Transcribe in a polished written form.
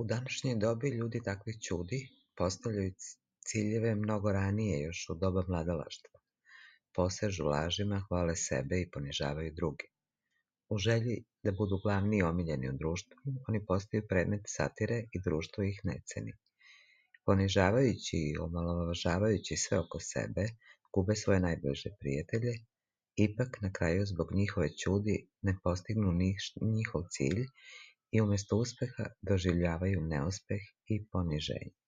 U današnjoj dobi ljudi takvih ćudi postavljaju ciljeve mnogo ranije, još u doba mladalaštva. Posežu lažima, hvale sebe i ponižavaju druge. U želji da budu glavni i omiljeni u društvu, oni postaju predmet satire i društvo ih ne ceni. Ponižavajući i omalovažavajući sve oko sebe, gube svoje najbliže prijatelje, ipak na kraju zbog njihove ćudi ne postignu njihov cilj i umjesto uspeha doživljavaju neuspeh i poniženje.